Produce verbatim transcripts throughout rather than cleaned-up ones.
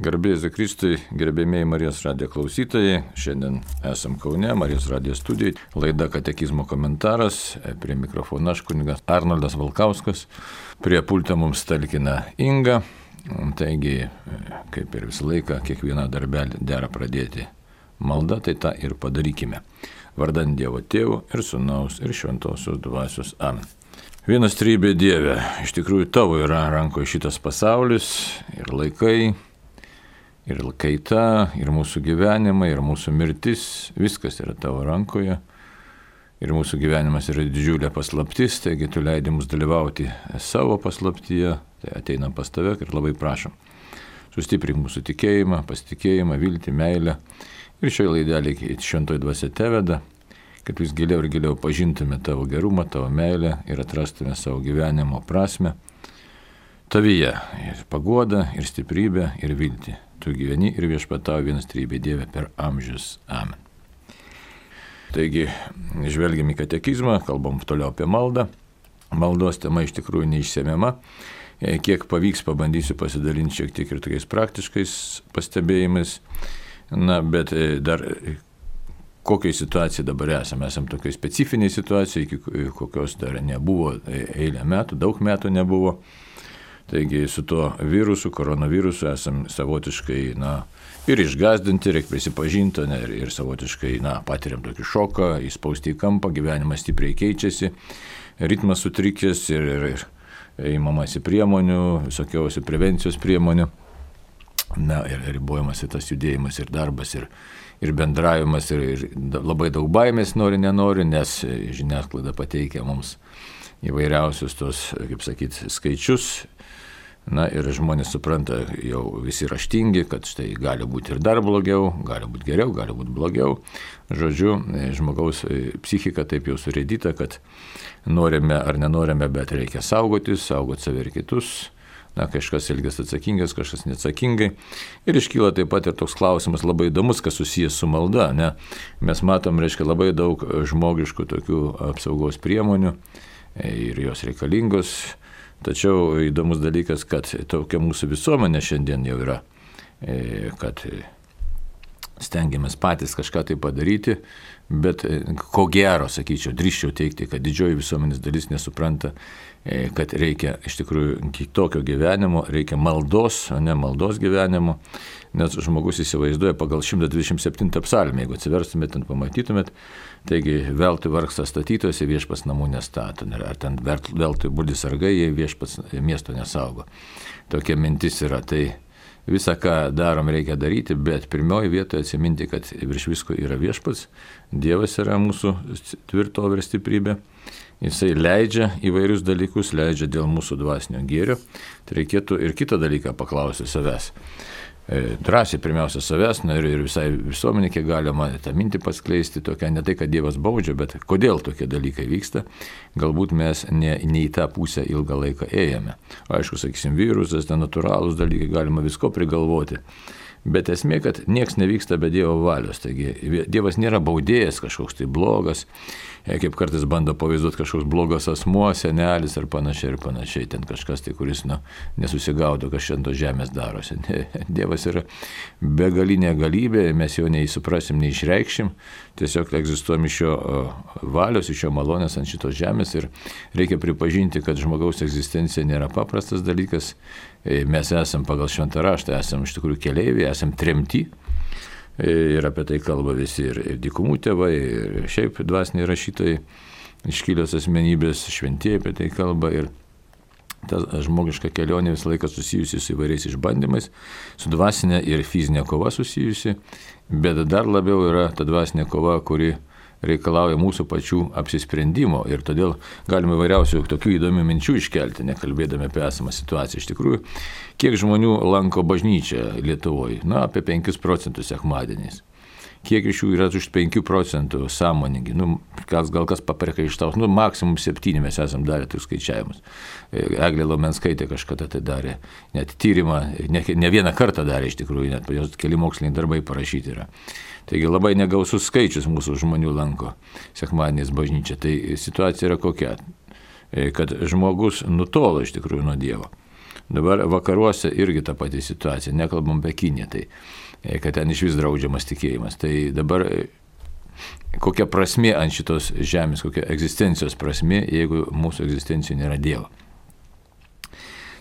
Garbė Jėzui Kristui, gerbėmėjai Marijos radijo klausytojai. Šiandien esam Kaune, Marijos radijo studijai. Laida Katekizmo komentaras. Prie mikrofono aš kunigas Arnoldas Valkauskas. Prie pulto mums talkina Inga. Taigi, kaip ir visą laiką, kiekvieną darbelį dera pradėti malda, tai tą ir padarykime. Vardan Dievo Tėvo ir Sūnaus ir Šventosios Dvasios. Amen. Vienas trybė Dieve, iš tikrųjų tavo yra rankoje šitas pasaulis ir laikai, ir kaita, ir mūsų gyvenimai, ir mūsų mirtis, viskas yra tavo rankoje. Ir mūsų gyvenimas yra didžiulė paslaptis, taigi tu leidi mums dalyvauti savo paslaptyje, tai ateinam pas tave ir labai prašom. Sustiprink mūsų tikėjimą, pasitikėjimą, viltį, meilę. Ir šioje laidelėje šventoji dvasia teveda, kad vis giliau ir giliau pažintume tavo gerumą, tavo meilę ir atrastume savo gyvenimo prasme. Tavyje ir paguoda, ir stiprybė, ir viltį. Tu gyveni ir viešpatauji vienas trybė Dieve per amžius. Amen. Taigi, žvelgiam į katekizmą, kalbam toliau apie maldą. Maldos tema iš tikrųjų neišsemiama. Kiek pavyks, pabandysiu pasidalinti šiek tiek ir tokiais praktiškais pastebėjimais. Na, bet dar kokiai situacijai dabar esame? Esam tokiai specifiniai situacijai, iki kokios dar nebuvo eilę metų, daug metų nebuvo. Taigi su tuo virusu, koronavirusu esam savotiškai, na, ir išgazdinti, reikia prisipažinti, ne, ir, ir savotiškai, na, patiriam tokį šoką, įspausti į kampą, gyvenimas stipriai keičiasi, ritmas sutrikęs ir, ir, ir įmamasi priemonių, visokiausių prevencijos priemonių, na, ir ribojamas tas judėjimas ir darbas, ir, ir bendravimas, ir, ir labai daug baimės nori, nenori, nes žiniasklaida pateikia mums įvairiausius tos, kaip sakyti, skaičius. Na ir žmonės supranta, jau visi raštingi, kad štai gali būti ir dar blogiau, gali būti geriau, gali būti blogiau. Žodžiu, žmogaus psichika taip jau surėdyta, kad norime ar nenorime, bet reikia saugotis, saugoti save ir kitus. Na, kažkas elgiasi atsakingas, kažkas neatsakingai. Ir iškyla taip pat ir toks klausimas labai įdomus, kas susijęs su malda. Ne? Mes matom, reiškia, labai daug žmogiškų tokių apsaugos priemonių ir jos reikalingos. Tačiau įdomus dalykas, kad tokia mūsų visuomenė šiandien jau yra, kad stengiamės patys kažką tai padaryti, bet ko gero, sakyčiau, drįsčiau teikti, kad didžioji visuomenės dalis nesupranta, kad reikia iš tikrųjų kitokio gyvenimo, reikia maldos, o ne maldos gyvenimo, nes žmogus įsivaizduoja pagal šimtas dvidešimt septintą psalmę, jeigu atsiverstumėt, ten pamatytumėt, taigi veltui vargsta statytojose viešpats namų nestato, ar ten veltui budi sargai, jei viešpats miesto nesaugo. Tokia mintis yra, tai visą, ką darom, reikia daryti, bet pirmioji vietoje atsiminti, kad virš visko yra viešpats, Dievas yra mūsų tvirtovė ir stiprybė. Jisai leidžia įvairius dalykus, leidžia dėl mūsų dvasinio gėrio. Tai reikėtų ir kitą dalyką paklausti savęs. E, drąsiai pirmiausia savęs, na ir, ir visai visuomenė, kiek galima tą mintį paskleisti, tokia ne tai, kad Dievas baudžia, bet kodėl tokie dalykai vyksta. Galbūt mes ne, ne į tą pusę ilgą laiką ėjame. Aišku, sakysim, virusas, ten natūralūs dalykai, galima visko prigalvoti. Bet esmė, kad nieks nevyksta be Dievo valios. Taigi Dievas nėra baudėjas kažkoks tai blogas, kaip kartais bando pavaizduoti kažkoks blogas asmuo, senelis ar panašiai ir panašiai. Ten kažkas tai, kuris nu, nesusigaudo, kas šiandien tos žemės darosi. Dievas yra begalinė galybė, mes jo neįsuprasim, neišreikšim. Tiesiog egzistuojam iš jo valios, iš jo malonės ant šitos žemės ir reikia pripažinti, kad žmogaus egzistencija nėra paprastas dalykas. Mes esam pagal šventą raštą, esam iš tikrųjų keleiviai, esam tremti. Ir apie tai kalba visi ir, ir dykumų tėvai, ir šiaip dvasiniai rašytojai, iškilios asmenybės, šventieji apie tai kalba. Ir ta žmogiška kelionė visą laiką susijusi su įvairiais išbandymais, su dvasinė ir fizinė kova susijusi, bet dar labiau yra ta dvasinė kova, kuri reikalauja mūsų pačių apsisprendimo ir todėl galime įvairiausių tokių įdomių minčių iškelti, nekalbėdami apie esamą situaciją. Iš tikrųjų, kiek žmonių lanko bažnyčią Lietuvoje? Na, apie penkis procentus sekmadieniais. Kiek iš jų yra už penkių procentų sąmoningi? Nu, kas, gal kas papriekaištaus, nu, maksimum septyni mes esam darę tų skaičiavimus. Eglė Lomenskaitė kažkada tai darė, net tyrimą, ne, ne vieną kartą darė iš tikrųjų, net jos keli moksliniai darbai parašyti yra. Taigi labai negausus skaičius mūsų žmonių lanko sekmadieniais bažnyčią. Tai situacija yra kokia? Kad žmogus nutolo iš tikrųjų nuo Dievo. Dabar vakaruose irgi ta pati situacija, nekalbam apie Kiniją, tai kad ten iš vis draudžiamas tikėjimas. Tai dabar kokia prasmė ant šitos žemės, kokia egzistencijos prasmė, jeigu mūsų egzistencijoje nėra Dievo.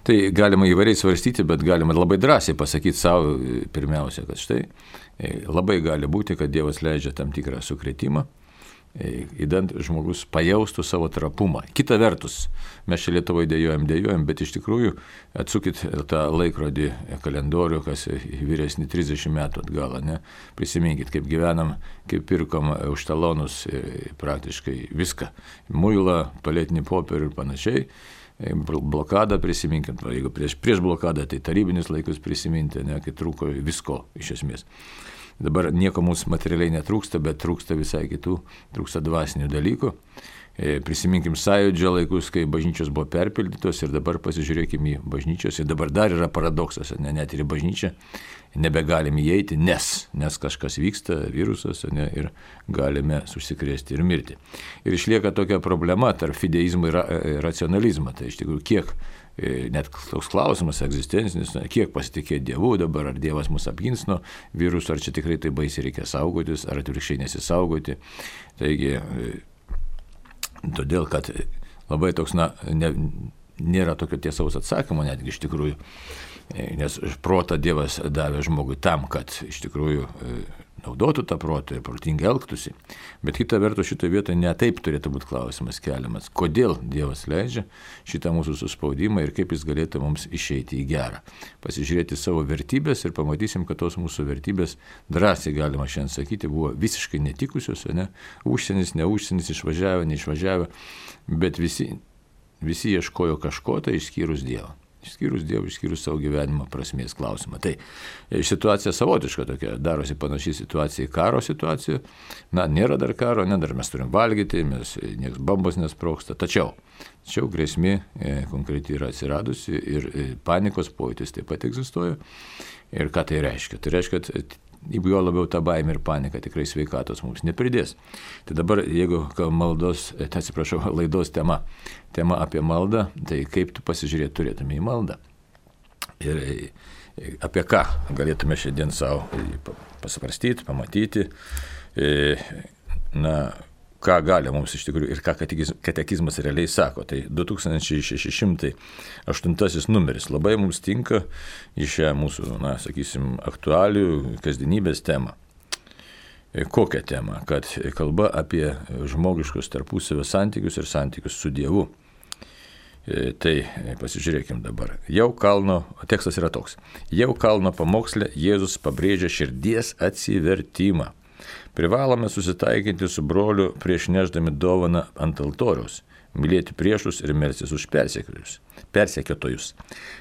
Tai galima įvairiai svarstyti, bet galima labai drąsiai pasakyti savo pirmiausia, kad štai labai gali būti, kad Dievas leidžia tam tikrą sukrėtimą, įdant žmogus pajaustų savo trapumą. Kita vertus, mes čia Lietuvoje dėjojam, dėjojam, bet iš tikrųjų atsukit tą laikrodį kalendorių, kas vyresni trisdešimt metų atgal, ne? Prisiminkit, kaip gyvenam, kaip pirkom už talonus praktiškai viską. Muilą, tualetinį popierių ir panašiai. Blokadą prisiminkim, jeigu prieš, prieš blokadą, tai tarybinis laikus prisiminti, ne, kai trūko visko iš esmės. Dabar nieko mums materialiai netrūksta, bet trūksta visai kitų, trūksta dvasinių dalykų. Prisiminkim Sąjūdžio laikus, kai bažnyčios buvo perpildytos ir dabar pasižiūrėkim į bažnyčios. Ir dabar dar yra paradoksas, ne, net ir į bažnyčią nebegalim įeiti, nes, nes kažkas vyksta, virusas, ne, ir galime susikrėsti ir mirti. Ir išlieka tokia problema tarp fideizmo ir racionalizmo. Tai iš tikrųjų kiek, net toks klausimas egzistencinis, kiek pasitikėti Dievu dabar, ar Dievas mus apgins nuo viruso, ar čia tikrai tai baisiai reikia saugotis, ar atvirkščiai nesisaugoti. Taigi, todėl, kad labai toks, na, ne, nėra tokio tiesaus atsakymo netgi iš tikrųjų, nes protą Dievas davė žmogui tam, kad iš tikrųjų naudotų tą protą ir protingai elgtųsi. Bet kita vertus šitoje vietoje ne taip turėtų būti klausimas keliamas. Kodėl Dievas leidžia šitą mūsų suspaudimą ir kaip jis galėtų mums išeiti į gerą. Pasižiūrėti savo vertybės ir pamatysim, kad tos mūsų vertybės drąsiai galima šiandien sakyti buvo visiškai netikusios, ne? Užsienis, ne užsienis, išvažiavę, neišvažiavę, bet visi, visi ieškojo kažko tai išskyrus Dievą. Išskyrus Dievą, išskyrus savo gyvenimo prasmės klausimą. Tai situacija savotiška tokia, darosi panaši situacija į karo situaciją. Na, nėra dar karo, ne, dar mes turim valgyti, mes nieks bombos nesprogsta. Tačiau, tačiau grėsmė e, konkretiai yra atsiradusi ir e, panikos pojūtis taip pat egzistuoja. Ir ką tai reiškia? Tai reiškia, kad jeigu jo labiau ta baimė ir panika tikrai sveikatos mums nepridės. Tai dabar, jeigu maldos, atsiprašau, laidos tema, tema apie maldą, tai kaip tu pasižiūrėti turėtume į maldą. Ir apie ką galėtume šiandien savo pasvarstyti, pamatyti, na, ką gali mums iš tikrųjų ir ką katekizmas realiai sako. Tai du tūkstančiai šeši šimtai aštuntasis numeris labai mums tinka į šią mūsų, na, sakysim, aktualių kasdienybės temą. Kokią temą? Kad kalba apie žmogiškus tarpusavio santykius ir santykius su Dievu. Tai pasižiūrėkim dabar. Jau kalno, tekstas yra toks. Jau kalno pamoksle Jėzus pabrėžia širdies atsivertimą. Privalome susitaikinti su broliu prieš nešdami dovaną ant altoriaus, mylėti priešus ir melstis už persekiotojus,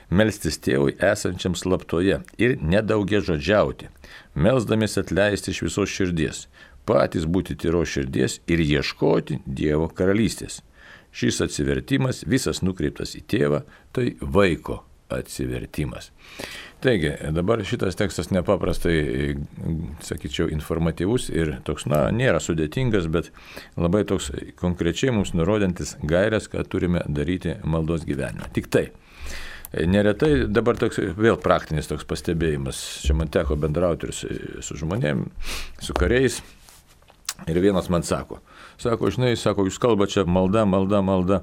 melstis tėvui esančiam slaptoje ir nedaugia žodžiauti, melsdamis atleisti iš visos širdies, patys būti tyros širdies ir ieškoti Dievo karalystės. Šis atsivertimas visas nukreiptas į tėvą, tai vaiko atsivertimas. Taigi, dabar šitas tekstas nepaprastai, sakyčiau, informatyvus ir toks, na, nėra sudėtingas, bet labai toks konkrečiai mums nurodantis gairias, ką turime daryti maldos gyvenime. Tik tai, neretai dabar toks vėl praktinis toks pastebėjimas. Čia man teko bendrauti ir su, su žmonėm, su kariais. Ir vienas man sako, sako, žinai, sako, jūs kalbate čia malda, malda, malda,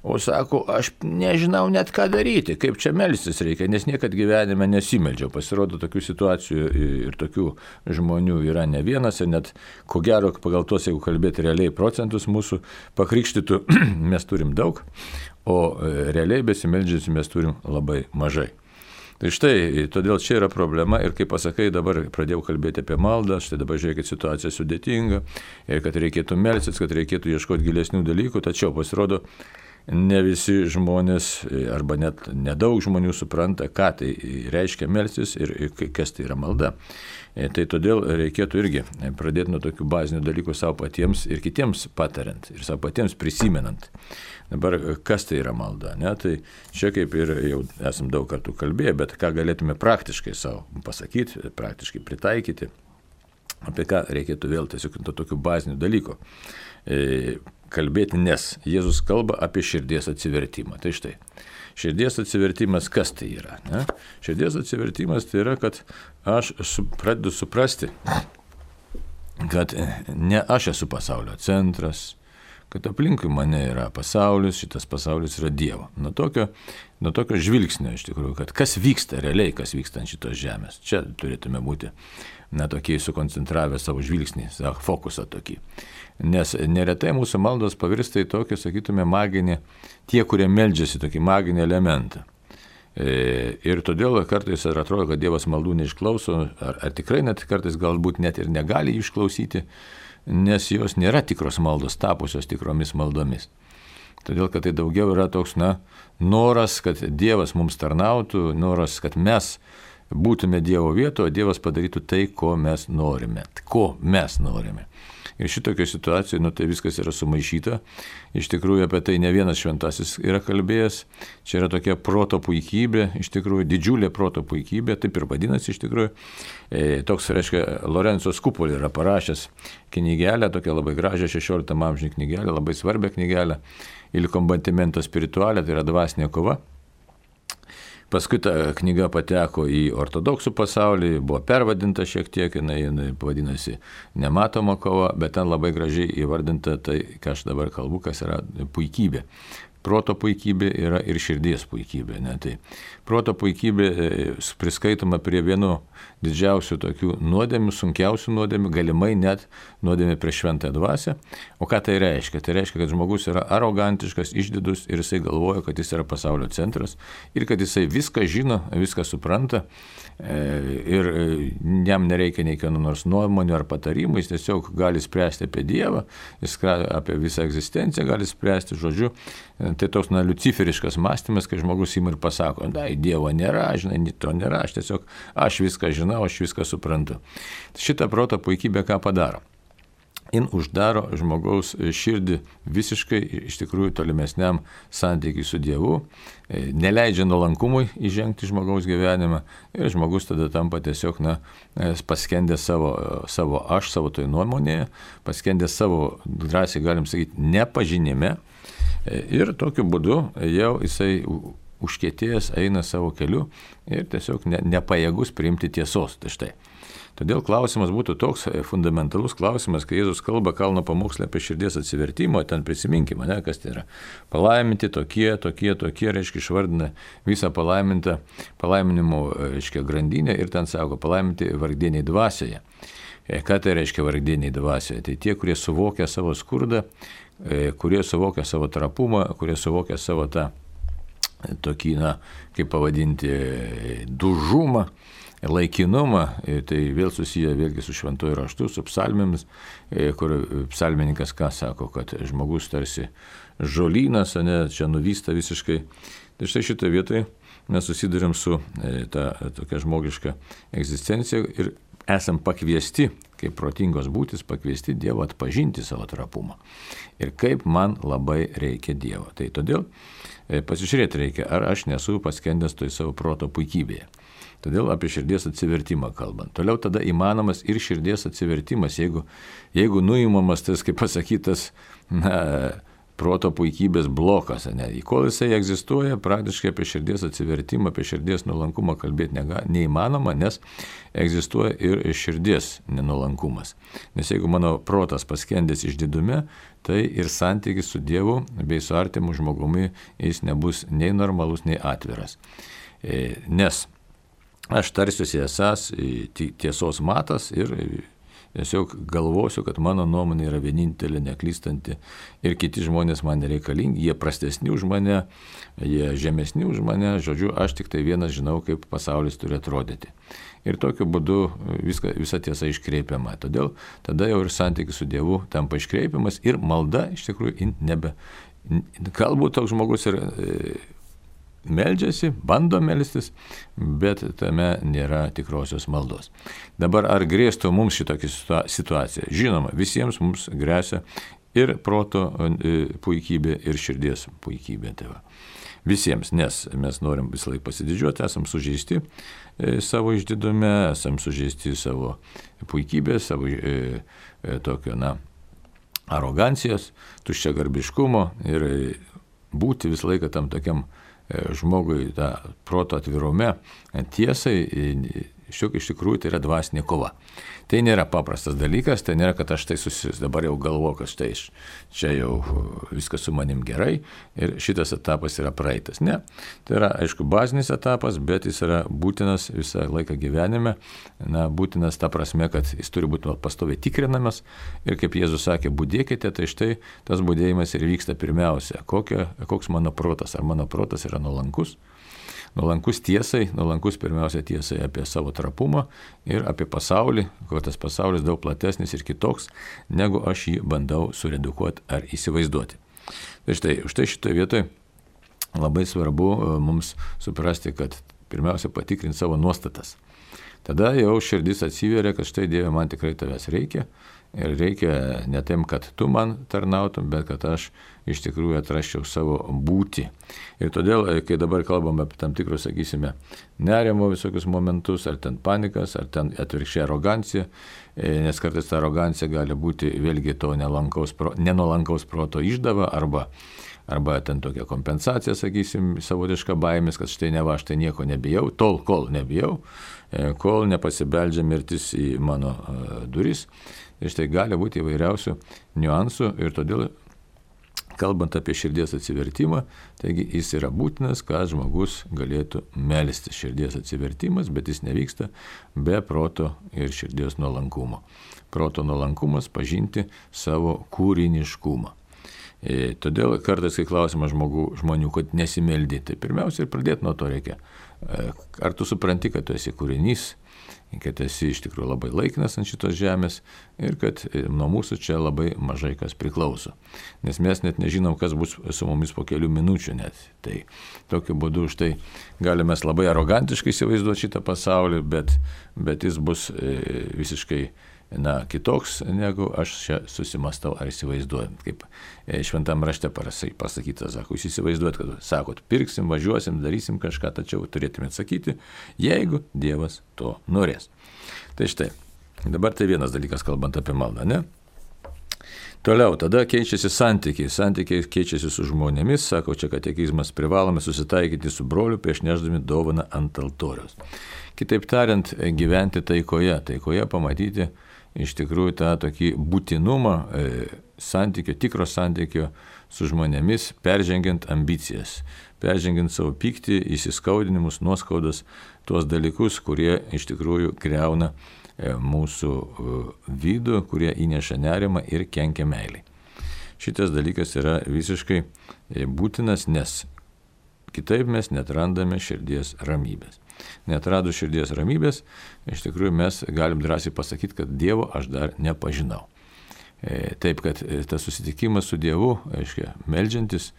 o sako, aš nežinau net ką daryti, kaip čia melstis reikia, nes niekad gyvenime nesimeldžiau. Pasirodo, tokių situacijų ir tokių žmonių yra ne vienas ir net, ko gero, pagal tos, jeigu kalbėti realiai procentus mūsų pakrikštytų, mes turim daug, o realiai besimeldžiančių mes turim labai mažai. Tai štai, todėl čia yra problema ir kaip pasakai, dabar pradėjau kalbėti apie maldą, štai dabar žiūrėkit, situacija sudėtinga ir kad reikėtų melstis, kad reikėtų ieškoti gilesnių dalykų, tačiau pasirodo, ne visi žmonės arba net nedaug žmonių supranta, ką tai reiškia melstis ir kas tai yra malda. Tai todėl reikėtų irgi pradėti nuo tokių bazinių dalykų savo patiems ir kitiems patariant ir savo patiems prisimenant. Dabar, kas tai yra malda? Ne? Tai čia kaip ir jau esam daug kartų kalbėję, bet ką galėtume praktiškai savo pasakyti, praktiškai pritaikyti, apie ką reikėtų vėl tiesiog to tokių bazinių dalykų. kalbėti, nes Jėzus kalba apie širdies atsivertimą. Tai štai, širdies atsivertimas kas tai yra? Ne? Širdies atsivertimas tai yra, kad aš su, pradedu suprasti, kad ne aš esu pasaulio centras, kad aplinkui mane yra pasaulis, šitas pasaulis yra Dievo. Nuo tokio, nuo tokio žvilgsnio iš tikrųjų, kad kas vyksta realiai, kas vyksta ant šitos žemės. Čia turėtume būti na, tokiai sukoncentravę savo žvilgsnį, savo fokusą tokį. Nes neretai mūsų maldos pavirsta į tokį, sakytume, maginį, tie, kurie meldžiasi tokį maginį elementą. E, ir todėl kartais ir atrodo, kad Dievas maldų neišklauso, ar, ar tikrai net kartais galbūt net ir negali išklausyti, nes jos nėra tikros maldos, tapusios tikromis maldomis. Todėl, kad tai daugiau yra toks, na, noras, kad Dievas mums tarnautų, noras, kad mes būtume Dievo vietoje, o Dievas padarytų tai, ko mes norime. Ko mes norime. Ir šitokio situacijoje, nu tai viskas yra sumaišyta. Iš tikrųjų apie tai ne vienas šventasis yra kalbėjęs. Čia yra tokia proto puikybė, iš tikrųjų didžiulė proto puikybė, taip ir vadinasi iš tikrųjų. E, toks, reiškia, Lorenzo Scupoli yra parašęs knygelę, tokią labai gražią šešioliktam amžiuje knygelę, labai svarbią knygelę, Il combattimento spirituale, tai yra dvasinė kova. Paskui ta knyga pateko į ortodoksų pasaulį, buvo pervadinta šiek tiek, jinai, jinai vadinasi Nematoma kova, bet ten labai gražiai įvardinta tai, ką aš dabar kalbu, kas yra puikybė. Proto puikybė yra ir širdies puikybė. Ne? Tai proto puikybė priskaitoma prie vieno didžiausių tokių nuodėmių, sunkiausių nuodėmių, galimai net nuodėmė prieš šventąją dvasią. O ką tai reiškia? Tai reiškia, kad žmogus yra arogantiškas, išdidus ir jisai galvoja, kad jis yra pasaulio centras ir kad jisai viską žino, viską supranta ir jam nereikia nei kieno nors nuomonių ar patarimų, jis tiesiog gali spręsti apie Dievą, jis apie visą egzistenciją gali spręsti, žodžiu. Tai toks na, luciferiškas mąstymas, kai žmogus ima ir pasako, na, Dievo nėra, žinai, to nėra, aš tiesiog, aš viską žinau, aš viską suprantu. Šitą proto puikybę ką padaro? Jin uždaro žmogaus širdį visiškai iš tikrųjų tolimesniam santykiui su Dievu, neleidžia nuolankumui įžengti žmogaus gyvenimą ir žmogus tada tampa tiesiog na, paskendęs savo, savo aš, savo toj nuomonėje, paskendęs savo, drąsiai galim sakyti, nepažinime. Ir tokiu būdu jau jisai užkietėjęs eina savo keliu ir tiesiog ne, nepajėgus priimti tiesos. Tai štai. Todėl klausimas būtų toks fundamentalus klausimas, kai Jėzus kalba kalno pamoksle apie širdies atsivertimą, ten prisiminkime, ne, kas tai yra. Palaiminti tokie, tokie, tokie, reiškia, išvardina visą palaimintą palaiminimo, reiškia, grandinę ir ten sako, palaiminti vargdieniai dvasioje. Ką tai reiškia vargdieniai dvasioje? Tai tie, kurie suvokia savo skurdą, kurie suvokia savo trapumą, kurie suvokia savo tą tokį, na, kaip pavadinti, dužumą, laikinumą, tai vėl susiję vėlgi su šventuoju raštu, su psalmėmis, kur psalmininkas ką sako, kad žmogus tarsi žolynas, ne, čia nuvysta visiškai. Tai štai šitoje vietoje mes susidurėm su ta tokia žmogiška egzistencija ir esam pakviesti, kaip protingos būtis, pakviesti Dievo atpažinti savo trapumą. Ir kaip man labai reikia Dievo. Tai todėl pasižiūrėti reikia, ar aš nesu paskendęs toj savo proto puikybėje. Todėl apie širdies atsivertimą kalbant. Toliau tada įmanomas ir širdies atsivertimas, jeigu, jeigu nuimamas tas, kaip pasakytas, na, proto puikybės blokas. Ne? Kol jisai egzistuoja, praktiškai apie širdies atsivertimą, apie širdies nuolankumą kalbėti nega, neįmanoma, nes egzistuoja ir širdies nenuolankumas. Nes jeigu mano protas paskendęs išdidume, tai ir santykis su Dievu bei su artimu žmogumi jis nebus nei normalus, nei atviras. Nes aš tarsiuosi esas tiesos matas ir tiesiog galvosiu, kad mano nuomonė yra vienintelė, neklystanti ir kiti žmonės man nereikalingi, jie prastesni už mane, jie žemesni už mane, žodžiu, aš tik tai vienas žinau, kaip pasaulis turi atrodyti. Ir tokiu būdu viską, visa tiesa iškreipiama. Todėl tada jau ir santykis su Dievu tampa iškreipiamas ir malda iš tikrųjų nebe. Galbūt toks žmogus ir meldžiasi, bando melstis, bet tame nėra tikrosios maldos. Dabar ar grėstų mums šitokia situacija? Žinoma, visiems mums grėsia ir proto puikybė, ir širdies puikybė. Tai va. Visiems, nes mes norim visą laiką pasididžiuoti, esam sužeisti savo išdidume, esam sužeisti savo puikybę, savo e, tokio, na, arogancijos, tuščiagarbiškumo ir būti visą laiką tam tokiam žmogui, tą proto atvirume, tiesai, iš tikrųjų tai yra dvasinė kova. Tai nėra paprastas dalykas, tai nėra, kad aš tai susis, dabar jau galvoju, kad štai čia jau viskas su manim gerai ir šitas etapas yra praeitas. Ne, tai yra, aišku, bazinis etapas, bet jis yra būtinas visą laiką gyvenime, na, būtinas ta prasme, kad jis turi būti pastoviai tikrinamas ir kaip Jėzus sakė, budėkite, tai štai tas budėjimas ir vyksta pirmiausia. Kokia, koks mano protas, ar mano protas yra nuolankus? Nuolankus tiesai, nuolankus pirmiausia tiesai apie savo trapumą ir apie pasaulį, kad tas pasaulis daug platesnis ir kitoks, negu aš jį bandau suredukuoti ar įsivaizduoti. Tai štai, štai šitoje vietoje labai svarbu mums suprasti, kad pirmiausia patikrinti savo nuostatas. Tada jau širdis atsiveria, kad štai Dieve, man tikrai tavęs reikia. Ir reikia ne tam, kad tu man tarnautum, bet kad aš iš tikrųjų atrasčiau savo būtį. Ir todėl, kai dabar kalbame apie tam tikrus, sakysime, nerimo visokius momentus, ar ten panikas, ar ten atvirkščiai arogancija, nes kartais ta arogancija gali būti vėlgi to nenuolankaus, nenuolankaus proto išdava, arba, arba ten tokia kompensacija, sakysim, savotiška baimės, kad štai neva, aš tai nieko nebijau, tol, kol nebijau, kol nepasibeldžia mirtis į mano duris. Ir štai gali būti įvairiausių niuansų ir todėl, kalbant apie širdies atsivertimą, taigi jis yra būtinas, kad žmogus galėtų melstis. Širdies atsivertimas, bet jis nevyksta be proto ir širdies nuolankumo. Proto nuolankumas pažinti savo kūriniškumą. E, todėl kartais, kai klausima žmogų, žmonių, kad nesimeldi, tai pirmiausia ir pradėti nuo to reikia. E, ar tu supranti, kad tu esi kūrinys, kad esi iš tikrųjų labai laikinas ant šitos žemės ir kad nuo mūsų čia labai mažai kas priklauso. Nes mes net nežinom, kas bus su mumis po kelių minučių net. Tai tokiu būdu štai galime labai arogantiškai įsivaizduoti šitą pasaulį, bet, bet jis bus visiškai na, kitoks, negu aš čia susimastau ar įsivaizduoju. Kaip šventam rašte pasakyta, sako, jūs įsivaizduojat, kad sakot, pirksim, važiuosim, darysim kažką, tačiau turėtumėte sakyti, jeigu Dievas to norės. Tai štai, dabar tai vienas dalykas, kalbant apie maldą, ne? Toliau, tada keičiasi santykiai. Santykiai keičiasi su žmonėmis, sako čia katekizmas, privalome susitaikyti su broliu prieš nešdami dovaną ant altoriaus. Kitaip tariant, gyventi taikoje, taikoje pamatyti iš tikrųjų tą tokį būtinumą e, santykio, tikro santykio su žmonėmis, peržengiant ambicijas, peržengiant savo pyktį, įsiskaudinimus, nuoskaudas, tuos dalykus, kurie iš tikrųjų griauna e, mūsų e, vidų, kurie įneša nerimą ir kenkia meiliai. Šitas dalykas yra visiškai e, būtinas, nes kitaip mes netrandame širdies ramybės. Neatradus širdies ramybės, iš tikrųjų mes galim drąsiai pasakyti, kad Dievo aš dar nepažinau. E, taip, kad tas susitikimas su Dievu, aiškia, meldžiantis,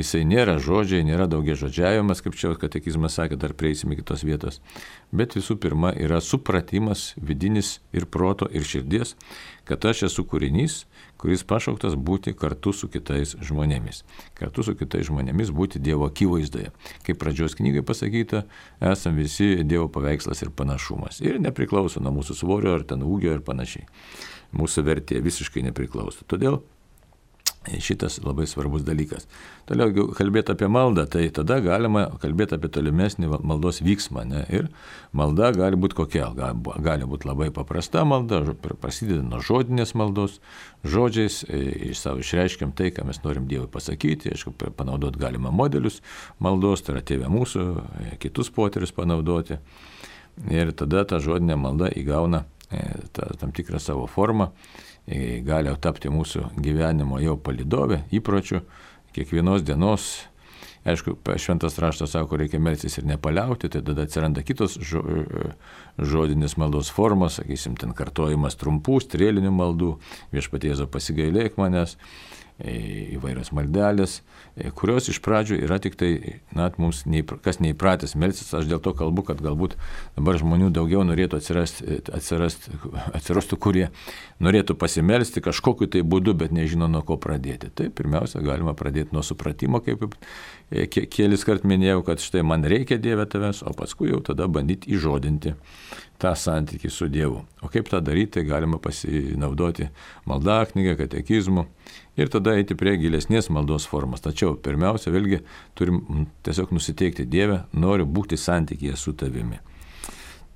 jisai nėra žodžiai, nėra daugia žodžiavimas, kaip čia katekizmas sakė, dar prieisime kitos vietos, bet visų pirma yra supratimas vidinis ir proto ir širdies, kad aš esu kūrinys, kuris pašauktas būti kartu su kitais žmonėmis. Kartu su kitais žmonėmis būti Dievo akivaizdoje. Kaip pradžios knygai pasakyta, esam visi Dievo paveikslas ir panašumas. Ir nepriklauso nuo mūsų svorio ar ten ūgio ir panašiai. Mūsų vertė visiškai nepriklauso. Todėl šitas labai svarbus dalykas. Toliau, jeigu kalbėti apie maldą, tai tada galima kalbėti apie tolimesnį maldos vyksmą. Ne? Ir malda gali būti kokia? Gali būti labai paprasta malda, prasideda nuo žodinės maldos, žodžiais iš savo išreiškiam tai, ką mes norim Dievui pasakyti, aišku, panaudoti galima modelius maldos, tai yra Tėve mūsų, kitus poterius panaudoti. Ir tada ta žodinė malda įgauna ta, tam tikrą savo formą, gali tapti mūsų gyvenimo jau palydovė, įpročių, kiekvienos dienos. Aišku, šventas raštas sako, reikia melstis ir nepaliauti, tai tada atsiranda kitos žo, žodinės maldos formos, sakysim, ten kartojimas trumpų, strėlinių maldų, Viešpatie Jėzau pasigailėk manęs, įvairios maldelės, kurios iš pradžių yra tik tai, na, mums neįpra, kas neįpratęs melstis. Aš dėl to kalbu, kad galbūt dabar žmonių daugiau norėtų atsirasti, atsirasti, atsirastų, kurie norėtų pasimelsti kažkokiu tai būdu, bet nežino nuo ko pradėti. Tai pirmiausia, galima pradėti nuo supratimo, kaip kelis kart minėjau, kad štai man reikia Dieve tavęs, o paskui jau tada bandyti įžodinti tą santykį su Dievu. O kaip tą daryti, tai galima pasinaudoti maldaknygę, katekizmu ir tada eiti prie gilesnės maldos formos. Tačiau pirmiausia, vėlgi, turim tiesiog nusiteikti: Dieve, noriu būti santykyje su tavimi.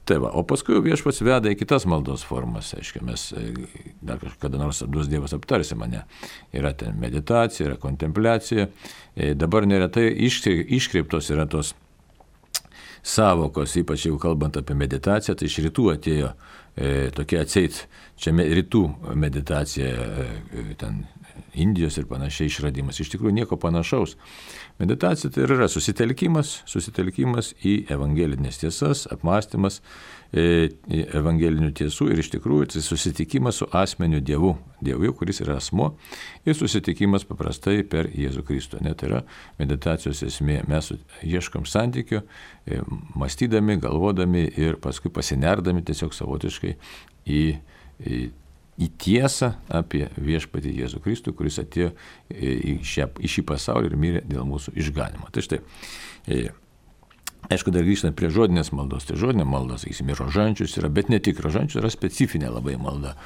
Tai va, o paskui Viešpats veda į kitas maldos formas. Aiškiai, mes dar kada nors duos Dievas aptarsi mane. Yra ten meditacija, yra kontempliacija. Dabar neretai iškreiptos yra tos savokos, ypač jeigu kalbant apie meditaciją, tai iš rytų atėjo e, tokia atseit, čia me, rytų meditacija, e, ten Indijos ir panašiai išradimas. Iš tikrųjų nieko panašaus. Meditacija tai yra susitelkimas, susitelkimas į evangelinės tiesas, apmąstymas e, evangelinių tiesų ir iš tikrųjų tai susitikimas su asmeniu Dievu, Dievu, kuris yra asmuo, ir susitikimas paprastai per Jėzų Kristų. Net yra meditacijos esmė. Mes ieškom santykių, e, mąstydami, galvodami ir paskui pasinerdami tiesiog savotiškai į, į į tiesą apie Viešpatį Jėzų Kristų, kuris atėjo į, šią, į šį pasaulį ir mirė dėl mūsų išganimo. Tai štai, aišku, dar grįžtant prie žodinės maldos, tai žodinė malda, sakysime, rožančius yra, bet ne tik rožančius, yra specifinė labai malda,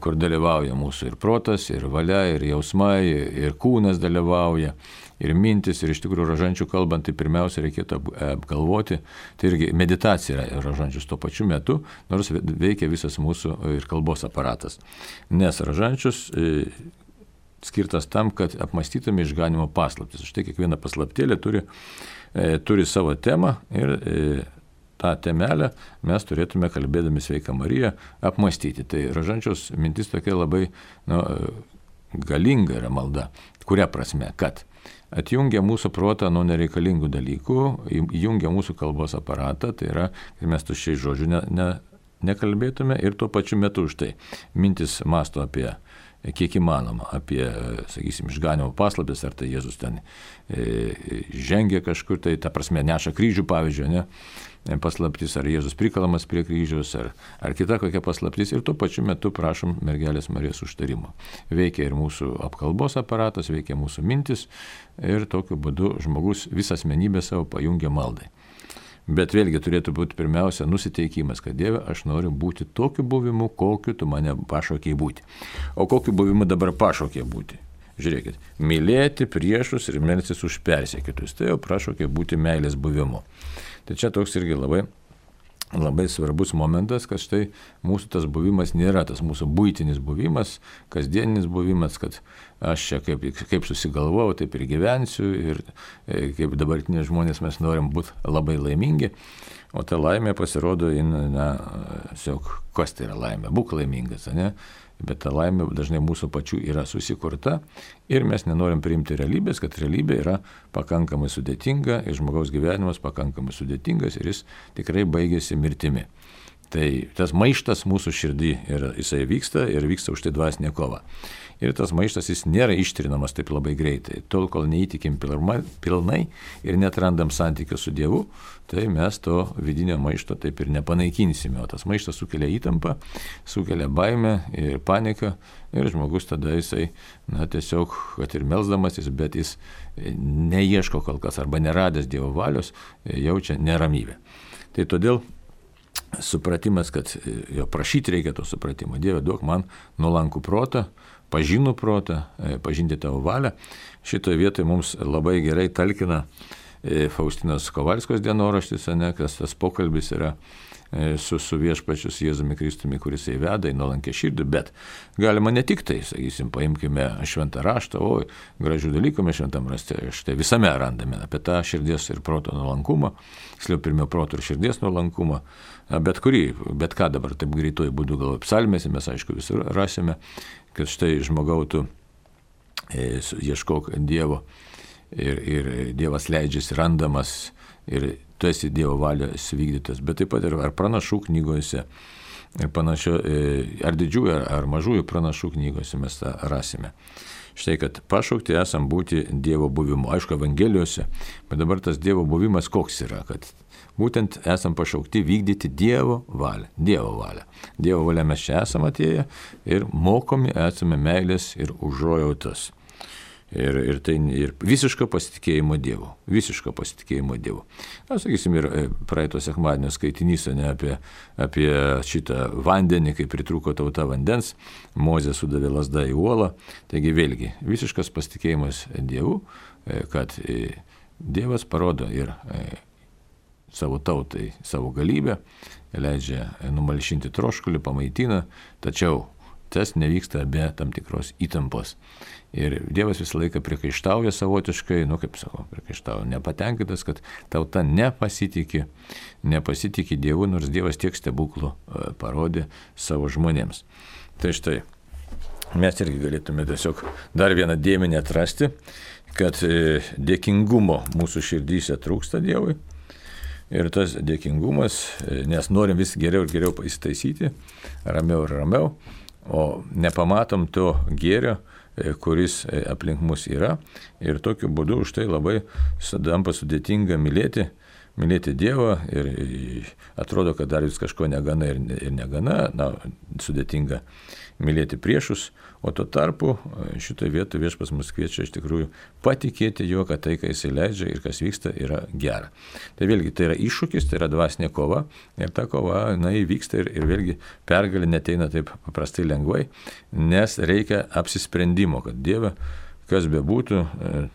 kur dalyvauja mūsų ir protas, ir valia, ir jausmai, ir kūnas dalyvauja, ir mintis, ir iš tikrųjų rožančių kalbant, tai pirmiausia reikėtų apgalvoti, tai irgi meditacija yra rožančius tuo pačiu metu, nors veikia visas mūsų ir kalbos aparatas. Nes rožančius e, skirtas tam, kad apmąstytume išganimo paslaptis. Štai kiekviena paslaptėlė turi, e, turi savo temą ir e, tą temelę mes turėtume, kalbėdami Sveika Marija, apmąstyti. Tai rožančiaus mintis tokia labai nu, galinga yra malda. Kuria prasme? Kad atjungia mūsų protą nuo nereikalingų dalykų, įjungia mūsų kalbos aparatą, tai yra, kad mes tuščiai žodžių ne, ne, nekalbėtume ir tuo pačiu metu už tai mintis masto apie, kiek įmanoma, apie, sakysim, išganimo paslaptis, ar tai Jėzus ten e, žengia kažkur, tai ta prasme neša kryžių, pavyzdžiui, ne, paslaptis, ar Jėzus prikalamas prie kryžiaus, ar, ar kita kokia paslaptis, ir tuo pačiu metu prašom mergelės Marijos užtarimo. Veikia ir mūsų apkalbos aparatas, veikia mūsų mintis ir tokiu būdu žmogus visą asmenybę savo pajungia maldai. Bet vėlgi turėtų būti pirmiausia nusiteikimas, kad Dieve, aš noriu būti tokiu buvimu, kokiu tu mane pašaukei būti. O kokiu buvimu dabar pašaukei būti? Žiūrėkit, mylėti priešus ir melstis už persekiotojus. Tai jau prašaukė būti meilės buvimu. Tai čia toks irgi labai, labai svarbus momentas, kad štai mūsų tas buvimas nėra tas mūsų buitinis buvimas, kasdieninis buvimas, kad aš čia kaip, kaip susigalvojau, taip ir gyvensiu ir kaip dabartiniai žmonės mes norim būti labai laimingi, o ta laimė pasirodo, na, siog, kas tai yra laimė, būk laimingas, ne? Bet ta laimė dažnai mūsų pačių yra susikurta ir mes nenorim priimti realybės, kad realybė yra pakankamai sudėtinga ir žmogaus gyvenimas pakankamai sudėtingas ir jis tikrai baigėsi mirtimi. Tai tas maištas mūsų širdį ir jisai vyksta ir vyksta už tai dvasinė kova. Ir tas maištas jis nėra ištrinamas taip labai greitai. Tol, kol neįtikim pilnai ir netrandam santykio su Dievu, tai mes to vidinio maišto taip ir nepanaikinsime. O tas maištas sukelia įtampą, sukelia baimę ir paniką ir žmogus tada jisai, na tiesiog, kad ir melsdamasis, bet jis neieško kol kas arba neradęs Dievo valios, jaučia neramybę. Tai todėl supratimas, kad jo prašyti reikia to supratimo. Dieve, duok man nuolankų protą, pažinų protą, pažinti tavo valią. Šitoje vietoje mums labai gerai talkina Faustinos Kovalskos dienoraštis, ne, kas tas pokalbis yra su, su Viešpačiu Jėzumi Kristumi, kuris įveda į nuolankę širdį, bet galima ne tik tai, sakysim, paimkime šventą raštą, o gražių dalykų mes šventam rašte, štai visame randame apie tą širdies ir proto nuolankumą, tiksliau pirmiau proto ir širdies nuolankumą, bet kurį, bet ką dabar taip greituoju būdu galvoju, psalmėse mes aišku visur rasime, kad štai žmogau tu e, ieškok Dievo ir, ir Dievas leidžiasi randamas ir tu esi Dievo valios vykdytas, bet taip pat ir ar pranašų knygose, ir panašio, ar didžiųjų, ar, ar mažųjų pranašų knygose mes tą rasime. Štai, kad pašaukti esam būti Dievo buvimu. Aišku, Evangelijose, bet dabar tas Dievo buvimas koks yra, kad būtent esam pašaukti vykdyti Dievo valią. Dievo valią. Dievo valią mes čia esam atėję ir mokomi esame meilės ir užuojautos. Ir, ir tai ir visiško pasitikėjimo Dievu. Visiško pasitikėjimo Dievu. Na, sakysim, ir praeito sekmadienio skaitinys, ne, apie, apie šitą vandenį, kai pritrūko tauta vandens, Mozė sudavė lazdą į uolą. Taigi vėlgi, visiškas pasitikėjimas Dievu, kad Dievas parodo ir savo tautai savo galybę, leidžia numalšinti troškulį, pamaitina, tačiau tas nevyksta be tam tikros įtampos. Ir Dievas visą laiką priekaištauja savotiškai, nu kaip sakau, priekaištauja, nepatenkintas, kad tauta nepasitikė, nepasitikė Dievu, nors Dievas tiek stebuklų parodė savo žmonėms. Tai štai, mes irgi galėtume tiesiog dar vieną dėmenį atrasti, kad dėkingumo mūsų širdyse trūksta Dievui. Ir tas dėkingumas, nes norim vis geriau ir geriau įsitaisyti, ramiau ir ramiau, o nepamatom to gėrio, kuris aplink mus yra. Ir tokiu būdu už tai labai tampa sudėtinga mylėti, mylėti Dievą ir atrodo, kad dar vis kažko negana ir negana, na, sudėtinga mylėti priešus, o tuo tarpu šitoje vietoje Viešpats mus kviečia iš tikrųjų patikėti juo, kad tai, ką jis leidžia ir kas vyksta, yra gera. Tai vėlgi tai yra iššūkis, tai yra dvasinė kova ir ta kova, na, įvyksta ir, ir vėlgi pergalė neteina taip paprastai lengvai, nes reikia apsisprendimo, kad Dieve, kas bebūtų,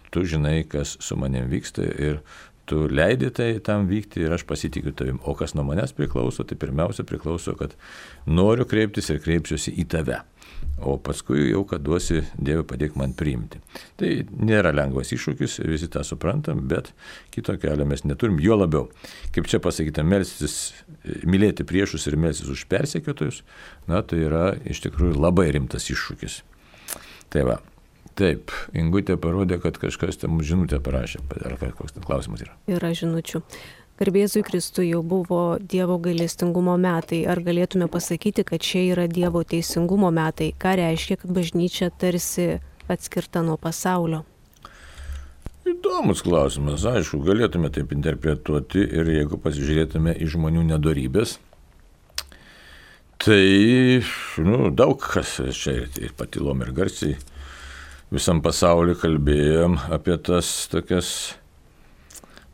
tu žinai, kas su manim vyksta ir tu leidi tai tam vykti ir aš pasitikiu tavim. O kas nuo manęs priklauso, tai pirmiausia priklauso, kad noriu kreiptis ir kreipsiuosi į tave. O paskui jau, kad duosi, Dieve, padėk man priimti. Tai nėra lengvas iššūkis, visi tą suprantam, bet kito kelio mes neturim. Jo labiau, kaip čia pasakyta, melstis, mylėti priešus ir melstis už persekiotojus, na, tai yra iš tikrųjų labai rimtas iššūkis. Tai va. Taip, Ingutė parodė, kad kažkas tam žinutę parašė. Ar koks ten klausimas yra? Yra žinučių. Garbėzui Kristui jau buvo Dievo gailestingumo metai. Ar galėtume pasakyti, kad čia yra Dievo teisingumo metai? Ką reiškia, kad bažnyčia tarsi atskirta nuo pasaulio? Įdomus klausimas. Aišku, galėtume taip interpretuoti ir jeigu pasižiūrėtume į žmonių nedorybės, tai nu, daug kas čia ir patylom ir garsiai visam pasauliu kalbėjom apie tas tokias,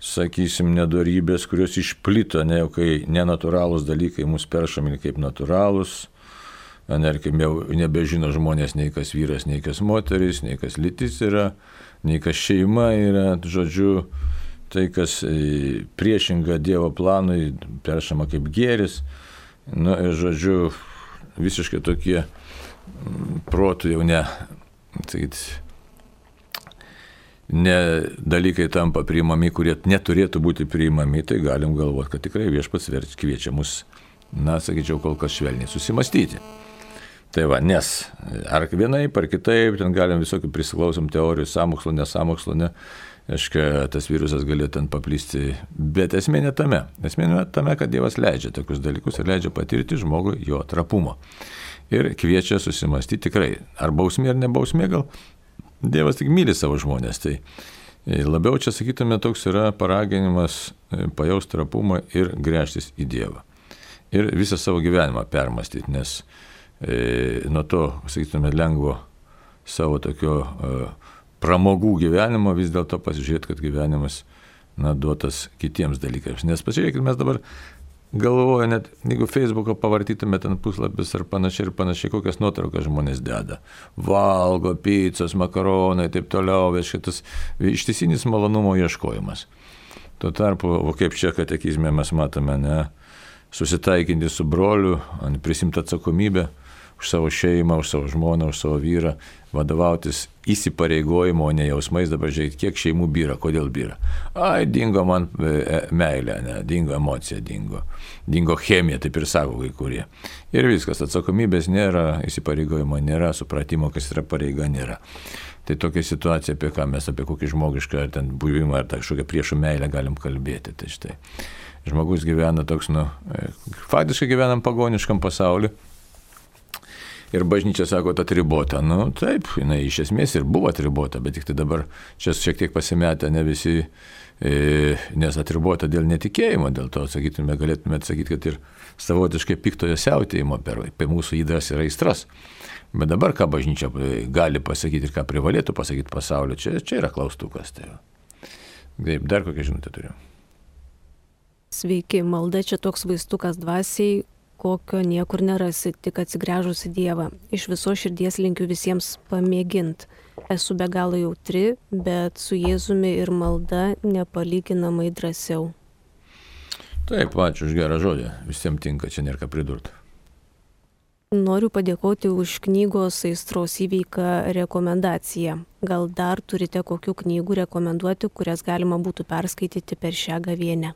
sakysim, nedorybės, kurios išplito, ne jau kai nenatūralūs dalykai mus peršami kaip natūralūs, ne, kaip jau nebežino žmonės nei kas vyras, nei kas moteris, nei kas lytis yra, nei kas šeima yra, žodžiu, tai kas priešinga Dievo planui peršama kaip gėris, nu ir žodžiu, visiškai tokie protų jau ne, sakyt, ne dalykai tampa priimami, kurie neturėtų būti priimami, tai galim galvoti, kad tikrai Viešpats kviečia mus, na, sakyčiau, kol kas švelniai susimastyti. Tai va, nes ar vienaip, ar kitaip, ten galim visokių prisiklausom teorijų, sąmokslo, nesąmokslo, ne, aiškia, tas virusas galėtų ten paplisti, bet esmė ne tame. Esmė ne tame, kad Dievas leidžia tokius dalykus ir leidžia patirti žmogui jo trapumo. Ir kviečia susimastyti tikrai, ar bausmė ar nebausmė, gal Dievas tik myli savo žmonės. Tai labiau čia, sakytume, toks yra paraginimas pajausti trapumą ir gręžtis į Dievą. Ir visą savo gyvenimą permastyti, nes e, nuo to, sakytume, lengvo savo tokio e, pramogų gyvenimo vis dėlto pasižiūrėti, kad gyvenimas, na, duotas kitiems dalykams. Nes pasižiūrėkit, mes dabar galvoju, net jeigu Facebooką pavartytume ten puslapis ar panašiai ir panašiai, kokias nuotraukas žmonės deda. Valgo, picos, makaronai, taip toliau, bet šitas ištisinis malonumo ieškojimas. Tuo tarpu, o kaip čia katekizme mes matome, ne, susitaikinti su broliu, prisimti atsakomybę už savo šeimą, už savo žmoną, už savo vyrą, vadovautis įsipareigojimo, o ne jausmais. Dabar žiūrėk, kiek šeimų byra, kodėl byra. Ai, dingo man meilė, ne, dingo emocija, dingo, dingo chemija, taip ir sako kai kurie. Ir viskas, atsakomybės nėra, įsipareigojimo nėra, supratimo, kas yra pareiga, nėra. Tai tokia situacija, apie ką mes, apie kokį žmogišką ar ten buvimą, ar kažkokią priešų meilę galim kalbėti. Tai štai, žmogus gyvena toks, nu, faktiškai gyvenam pagoniškam pasauliu. Ir bažnyčia sako, atribota. Nu, taip, jinai iš esmės ir buvo atribota, bet tik tai dabar čia šiek tiek pasimetę ne visi, e, nes atribota dėl netikėjimo, dėl to, sakytume, galėtume atsakyti, kad ir savotiškai piktojo siautėjimo per, per mūsų įdas ir aistras. Bet dabar ką bažnyčia gali pasakyti ir ką privalėtų pasakyti pasaulio, čia, čia yra klaustukas. Tai taip, dar kokią žinutę turiu. Sveiki, malda čia toks vaistukas dvasiai, kokio niekur nerasi, tik atsigręžus į Dievą. Iš viso širdies linkiu visiems pamėgint. Esu be galo jautri, bet su Jėzumi ir malda nepalyginamai drąsiau. Taip, ačiū už gerą žodį. Visiems tinka, čia nėra ką pridurti. Noriu padėkoti už knygos Aistros įveiką rekomendaciją. Gal dar turite kokių knygų rekomenduoti, kurias galima būtų perskaityti per šią gavėnią?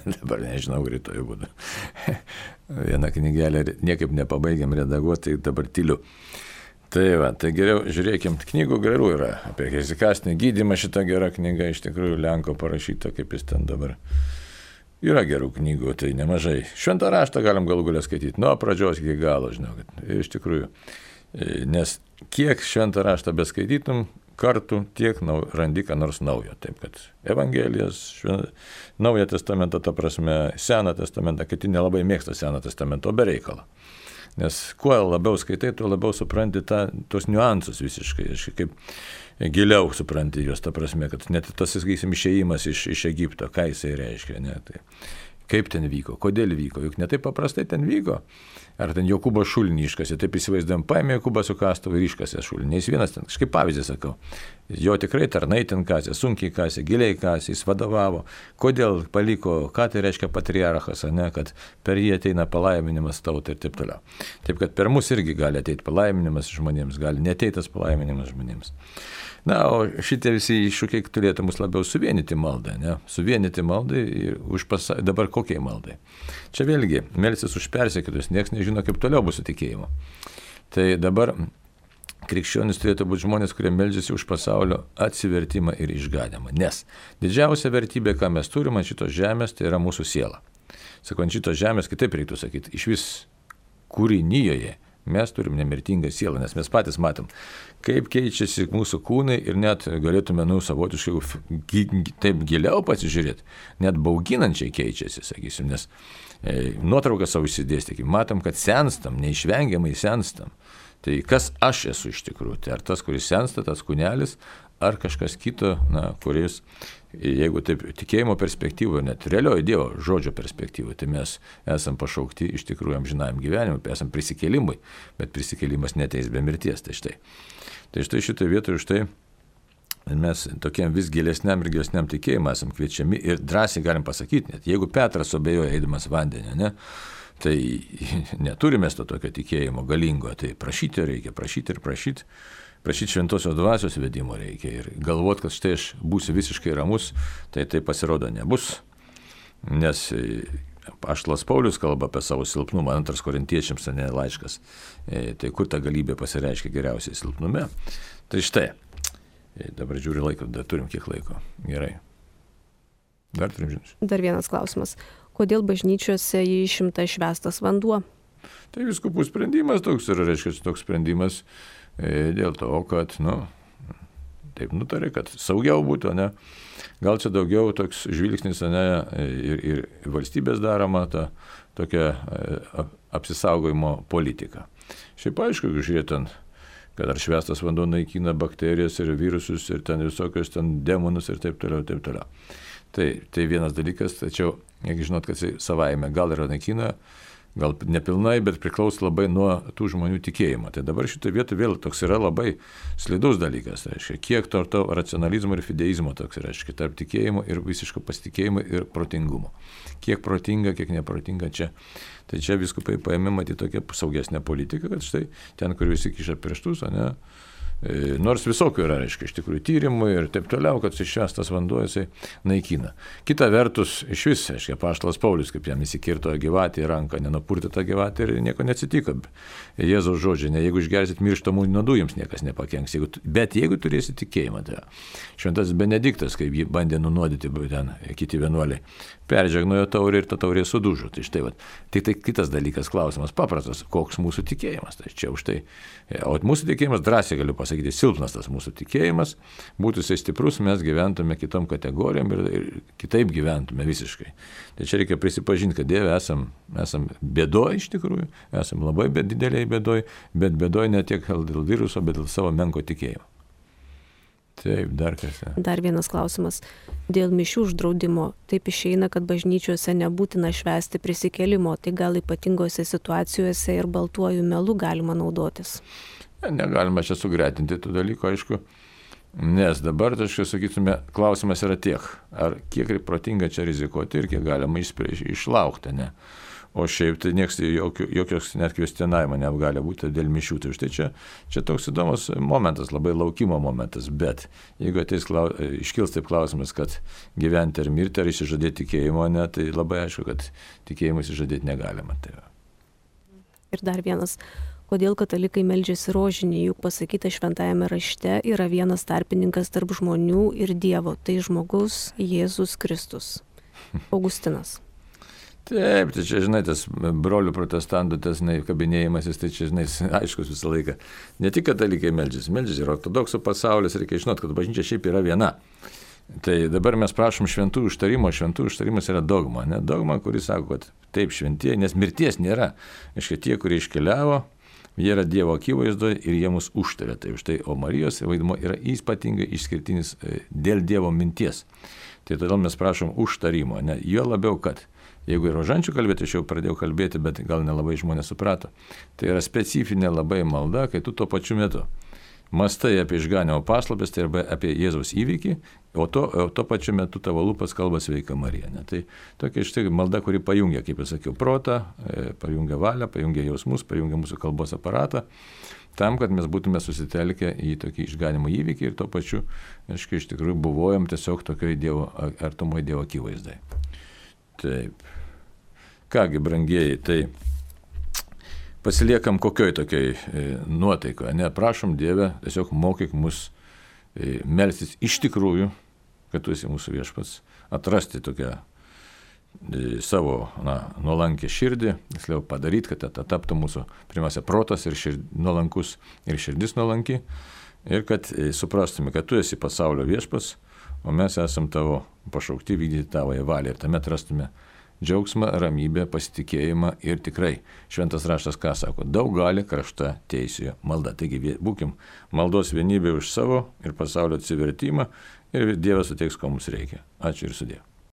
Dabar nežinau, rytoj būtų. Vieną knygelę niekaip nepabaigiam redaguoti, tai dabar tyliu. Tai va, tai geriau žiūrėkim, knygų gerų yra. Apie hezikastinį gydymą šita gera knyga, iš tikrųjų Lenko parašyta, kaip jis ten dabar. Yra gerų knygų, tai nemažai. Šventą raštą galim galų galę skaityti, nuo pradžios iki galo, žinau, kad iš tikrųjų. Nes kiek šventą raštą beskaitytum, kartų tiek nau, randi ką nors naujo. Taip kad Evangelijas, švent, Naują testamentą, ta prasme, Seną testamentą, kiti nelabai mėgsta Seną testamentą, o be reikalo. Nes kuo labiau skaitai, tuo labiau supranti tą, tos niuansus visiškai, kaip giliau supranti juos, ta prasme, kad net tas, sakysim, išėjimas iš, iš Egipto, ką jisai reiškia, ne, tai kaip ten vyko, kodėl vyko, juk ne taip paprastai ten vyko. Ar ten Jokūbas šulinį iškasė, taip įsivaizduojam, paėmė Jokūbą su kastuvu ir iškasė šulinį. Nes vienas ten, kažkaip pavyzdį sakau, jo tikrai tarnai ten kasė, sunkiai kasė, giliai kasė, jis vadovavo. Kodėl paliko, ką tai reiškia patriarchas, ne, kad per jį ateina palaiminimas tautai ir taip toliau. Taip kad per mus irgi gali ateiti palaiminimas žmonėms, gali neteitas palaiminimas žmonėms. Na, o šitie visi iššūkiai turėtų mus labiau suvienyti maldą, ne? Suvienyti maldai ir už pasa... dabar kokiai maldai. Čia vėlgi, melsis už persekiotojus, niekas nežino, kaip toliau bus su tikėjimu. Tai dabar krikščionis turėtų būti žmonės, kurie meldžiasi už pasaulio atsivertimą ir išganymą. Nes didžiausia vertybė, ką mes turime ant šitos žemės, tai yra mūsų siela. Sakau, ant šitos žemės, kitaip reiktų sakyti, iš vis kūrinyjoje mes turim nemirtingą sielą, nes mes patys matom, kaip keičiasi mūsų kūnai ir net galėtume, nu, savotiškai taip giliau pasižiūrėti, net bauginančiai keičiasi, sakysim, nes e, nuotrauką savo įsidėstykime, matom, kad senstam, neišvengiamai senstam. Tai kas aš esu iš tikrųjų, tai ar tas, kuris sensta, tas kūnelis, ar kažkas kito, na, kuris, jeigu taip tikėjimo perspektyvoje, net realiojo Dievo žodžio perspektyvoje, tai mes esam pašaukti iš tikrųjų amžinajam gyvenimui, esam prisikėlimui, bet prisikėlimas neteis be mirties. Tai štai, tai štai šitoje vietoje štai mes tokiam vis gilesniam ir gilesniam tikėjimui esam kviečiami ir drąsiai galim pasakyti, net jeigu Petras abejoja eidamas vandenį, ne, tai neturime to tokio tikėjimo galingo, tai prašyti reikia, prašyti ir prašyti. Prašyti šventosios dvasios vedimo reikia ir galvoti, kad štai aš būsiu visiškai ramus, tai tai pasirodo nebus. Nes apaštalas Paulius kalba apie savo silpnumą, antras korintiečiams, ne laiškas. Tai kur ta galybė pasireiškia geriausiai silpnume. Tai štai, dabar žiūriu laiko, dar turim kiek laiko. Gerai. Dar turim žinių. Dar vienas klausimas. Kodėl bažnyčiose išimtas švęstas vanduo? Tai vyskupų sprendimas toks ir reiškia toks sprendimas. Dėl to, kad, nu, taip nutarė, kad saugiau būtų, ne? Gal čia daugiau toks žvilgsnis, ne, ir, ir valstybės daroma ta tokia apsisaugojimo politika. Šiaip aišku, žiūrėtant, kad ar švęstas vanduo naikina bakterijas ir virusus ir ten visokius ten demonus ir taip toliau, taip toliau. Tai, tai vienas dalykas, tačiau, jeigu žinot, kad jis savaime gal yra naikina, gal nepilnai, bet priklauso labai nuo tų žmonių tikėjimo. Tai dabar šitoje vietoje vėl toks yra labai slidus dalykas. Reiškia, kiek to, to racionalizmo ir fideizmo toks yra, reiškia, tarp tikėjimo ir visiško pasitikėjimo ir protingumo. Kiek protinga, kiek neprotinga čia. Tai čia viskupai paėmė matyti tokią saugesnę politiką, kad štai ten, kur visi kiša pirštus, o ne, nors visokių yra, reiškia, iš tikrųjų tyrimų ir taip toliau, kad švęstas vanduo jisai naikina. Kita vertus, iš vis, reiškia, apaštalas Paulius, kaip jam įsikirto gyvatį į ranką, nenupurtė tą gyvatį ir nieko neatsitiko. Jėzaus žodžiai, ne, jeigu išgersit mirštamų nuodų, jums niekas nepakenks. Jeigu, bet jeigu turėsit tikėjimą, tai šventas Benediktas, kaip jį bandė nunuodyti ten kiti vienuoliai, peržegnojo taurę ir ta taurė sudužo. Tai štai, vat, tik tai kitas dalykas, klausimas paprastas, koks mūsų tikėjimas. Tai čia už tai. O mūsų tikėjimas drąsiai galiu pasakyti. sakyti, silpnas tas mūsų tikėjimas, būtų jisai stiprus, mes gyventume kitom kategorijom ir, ir kitaip gyventume visiškai. Tai čia reikia prisipažinti, kad Dieve esam, esam bėdoj iš tikrųjų, esam labai dideliai bėdoj, bet bėdoj ne tiek dėl viruso, bet dėl savo menko tikėjimo. Taip, dar kas. Dar vienas klausimas. Dėl mišių uždraudimo taip išeina, kad bažnyčiose nebūtina švęsti prisikėlimo, tai gal ypatingose situacijose ir baltuoju melu galima naudotis? Negalima čia sugretinti tų dalykų, aišku, nes dabar, tai aš sakytume, klausimas yra tiek, ar kiek protinga čia rizikuoti ir kiek galima išlaukti, ne? O šiaip tai nieks, jokio, jokios net kvestionavimo negali būti dėl mišių. Tai štai čia, čia toks įdomus momentas, labai laukimo momentas, bet jeigu ateis, iškils taip klausimas, kad gyventi ar mirti, ar išsižadėti tikėjimo, ne, tai labai aišku, kad tikėjimo išsižadėti negalima. Tai ir dar vienas. Kodėl katalikai meldžiasi rožinį, juk pasakyta šventajame rašte yra vienas tarpininkas tarp žmonių ir Dievo, tai žmogus Jėzus Kristus. Augustinas. Taip, tai čia, žinai, tas brolių protestantų, tas, žinai, kabinėjimasis, tai čia, žinai, aiškus visą laiką. Ne tik katalikai meldžiasi, meldžiasi ir ortodoksų pasaulis, reikia žinoti, kad bažnyčia šiaip yra viena. Tai dabar mes prašom šventų užtarimo, šventų užtarimas yra dogma, ne dogma, kuris sako, kad taip šventieji, nes mirties nėra. Iškai tie, kurie iškeliavo, jie yra Dievo akivaizdoje ir jie mus užtarė. Tai už tai, o Marijos vaidmuo yra ypatingai išskirtinis dėl Dievo minties. Tai todėl mes prašom užtarimo, ne jo labiau, kad jeigu ir rožančių kalbėti, aš jau pradėjau kalbėti, bet gal nelabai žmonės suprato. Tai yra specifinė labai malda, kai tu tuo pačiu metu mastai apie išganimo paslaptis, tai arba apie Jėzaus įvykį, o to, o to pačiu metu tavo lūpas kalba sveika Marija. Ne? Tai tokia štai malda, kuri pajungia, kaip jau sakiau, protą, pajungia valią, pajungia jausmus, pajungia mūsų kalbos aparatą, tam, kad mes būtume susitelkę į tokį išganimo įvykį ir tuo pačiu, aiškiai, iš tikrųjų buvojom tiesiog tokioj Dievo, artumoje Dievo akivaizdai. Taip. Kągi, brangieji, tai pasiliekam kokioj tokioj e, nuotaikoje. Ne, prašom Dieve, tiesiog mokyk mus e, melstis iš tikrųjų, kad tu esi mūsų viešpats, atrasti tokią e, savo na, nuolankę širdį, tiksliau padaryti, kad tai taptų mūsų pirmiausia protas ir šird, nuolankus ir širdis nuolanki ir kad e, suprastume, kad tu esi pasaulio viešpats, o mes esam tavo pašaukti vykdyti tavoje valią ir tame atrastume džiaugsmą, ramybę, pasitikėjimą ir tikrai šventas raštas ką sako, daug gali krašta teisėjo malda. Taigi būkim maldos vienybė už savo ir pasaulio atsivertimą ir Dievas suteiks, ko mums reikia. Ačiū ir sudie.